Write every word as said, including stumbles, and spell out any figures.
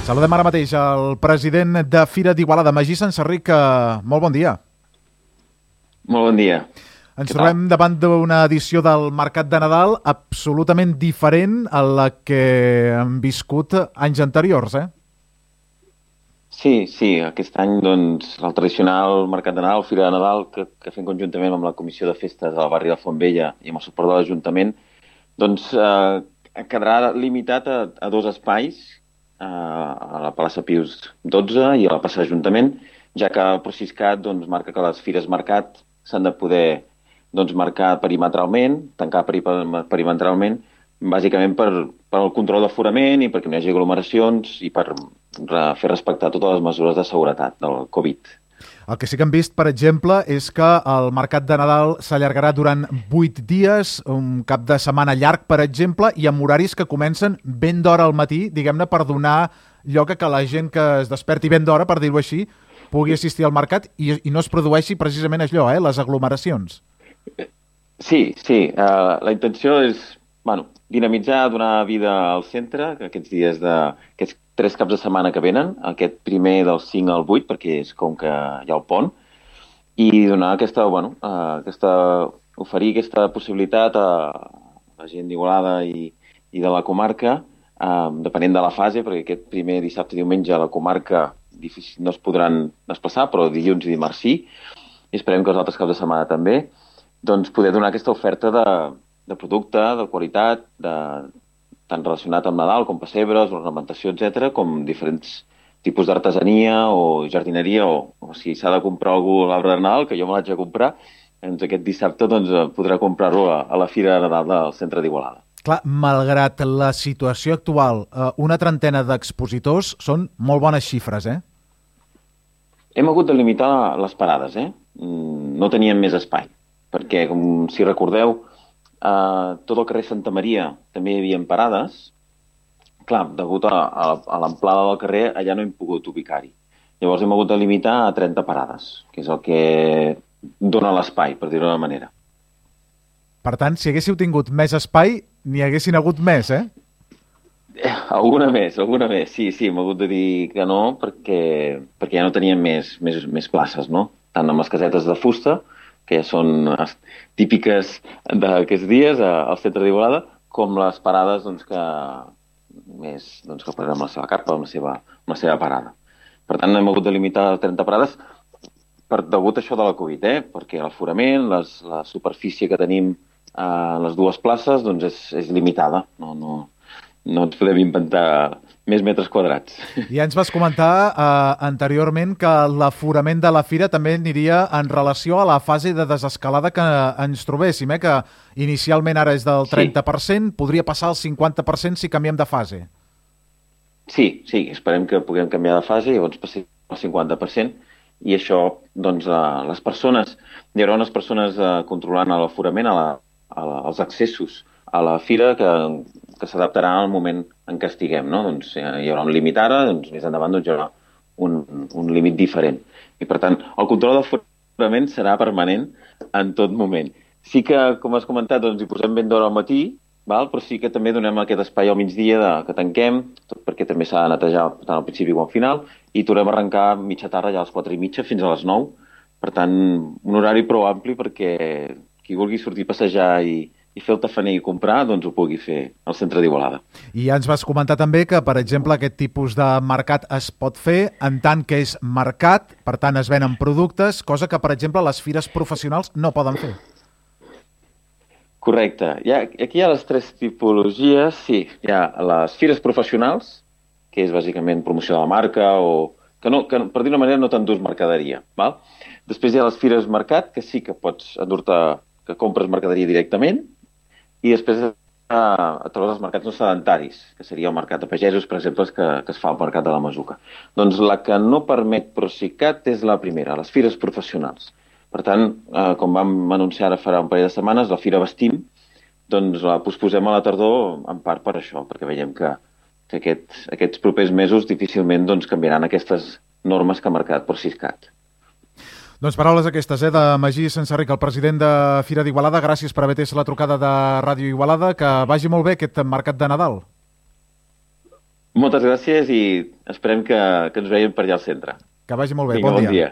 Saludem ara mateix el president de Fira d'Igualada, Magí Sansarric. Molt bon dia. Molt bon dia. Ens trobem davant d'una edició del Mercat de Nadal absolutament diferent a la que hem viscut anys anteriors, eh? Sí, sí. Aquest any, doncs, el tradicional Mercat de Nadal, Fira de Nadal, que, que fem conjuntament amb la Comissió de Festes del barri de Fontvella i amb el suport de l'Ajuntament, doncs eh, quedarà limitat a, a dos espais, a la plaça Pius dotze i a la plaça d'Ajuntament, ja que el Procicat doncs, marca que les fires mercat s'han de poder doncs, marcar perimetralment, tancar perimetralment, bàsicament per, per el control d'aforament i perquè no hi hagi aglomeracions i per fer respectar totes les mesures de seguretat del Covid. El que sí que hem vist, per exemple, és que el Mercat de Nadal s'allargarà durant vuit dies, un cap de setmana llarg, per exemple, i amb horaris que comencen ben d'hora al matí, diguem-ne, per donar lloc a que la gent que es desperti ben d'hora, per dir-ho així, pugui assistir al mercat i, i no es produeixi precisament allò, eh, les aglomeracions. Sí, sí. Uh, la intenció és, bueno, dinamitzar, donar vida al centre, aquests dies de... Aquests tres caps de setmana que venen, aquest primer del cinc al vuit, perquè és com que hi ha el pont, i donar aquesta, bueno, uh, aquesta, oferir aquesta possibilitat a la gent d'Igualada i, i de la comarca, uh, depenent de la fase, perquè aquest primer dissabte i diumenge a la comarca difícil, no es podran desplaçar, però dilluns i dimarts sí, i esperem que els altres caps de setmana també, doncs poder donar aquesta oferta de, de producte, de qualitat, de tant relacionat amb Nadal com pessebres, ornamentació, etcètera, com diferents tipus d'artesania o jardineria, o, o si s'ha de comprar algú l'arbre de Nadal, que jo me l'haig de comprar, doncs aquest dissabte doncs, podrà comprar-lo a, a la Fira de Nadal del centre d'Igualada. Clar, malgrat la situació actual, una trentena d'expositors són molt bones xifres, eh? Hem hagut de limitar les parades, eh? No teníem més espai, perquè, com si recordeu, Uh, tot el carrer Santa Maria també hi havia parades. Clar, degut a, a, a l'amplada del carrer, allà no hem pogut ubicar-hi. Llavors hem hagut de limitar a trenta parades, que és el que dona l'espai, per dir-ho d'una manera. Per tant, si haguéssiu tingut més espai, n'hi haguessin hagut més, eh? eh alguna més, alguna més. Sí, sí, hem hagut de dir que no, perquè, perquè ja no teníem més, més, més places, no? Tant amb les casetes de fusta, que ja són típiques d'aquests dies al centre d'Igualada, com les parades doncs, que més doncs, que parem la seva carpa, amb la seva, amb la seva parada. Per tant, hem hagut de limitar a trenta parades per degut a això de la Covid, eh? Perquè l'aforament, les, la superfície que tenim a les dues places doncs, és, és limitada. No, no, no ens podem inventar més metres quadrats. Ja ens vas comentar eh, anteriorment que l'aforament de la fira també aniria en relació a la fase de desescalada que ens trobéssim, eh? Que inicialment ara és del trenta per cent, sí. Podria passar al cinquanta per cent si canviem de fase. Sí, sí, esperem que puguem canviar de fase i llavors passi al cinquanta per cent i això, doncs, eh, les persones, hi haurà unes persones eh, controlant l'aforament, a la, a la, als accessos a la fira que, que s'adaptarà al moment en què estiguem, no? Doncs hi haurà un límit ara, doncs més endavant doncs, hi haurà un, un límit diferent. I per tant, el control d'aforament serà permanent en tot moment. Sí que, com has comentat, doncs, hi posem ben d'hora al matí, val? Però sí que també donem aquest espai al migdia de, que tanquem, tot perquè també s'ha de netejar tant al principi com al final, i tornem a arrencar mitja tarda ja a les quatre i mitja fins a les nou. Per tant, un horari prou ampli perquè qui vulgui sortir a passejar i i fer el tafaner i comprar, doncs ho pugui fer al centre d'Igualada. I ja ens vas comentar també que, per exemple, aquest tipus de mercat es pot fer en tant que és mercat, per tant es venen productes, cosa que, per exemple, les fires professionals no poden fer. Correcte. Ja, aquí hi ha les tres tipologies. Sí, hi ha les fires professionals, que és bàsicament promoció de la marca, o que, no, que per dir una manera no t'endús mercaderia. Val? Després hi ha les fires mercat, que sí que pots endur-te, que compres mercaderia directament, i després a, a través dels mercats no sedentaris, que seria el mercat de pagesos, per exemple, que, que es fa al mercat de la Masuca. Doncs la que no permet Procicat és la primera, les fires professionals. Per tant, eh, com vam anunciar ara farà un parell de setmanes, la Fira Vestim, doncs la posposem a la tardor en part per això, perquè veiem que, que aquest, aquests propers mesos difícilment doncs, canviaran aquestes normes que ha marcat Procicat. Doncs paraules aquestes, eh, de Magí Sansarric, el president de Fira d'Igualada. Gràcies per haver atès la trucada de Ràdio Igualada. Que vagi molt bé aquest mercat de Nadal. Moltes gràcies i esperem que, que ens veiem per allà al centre. Que vagi molt bé. Vinga, Bon bon dia. dia.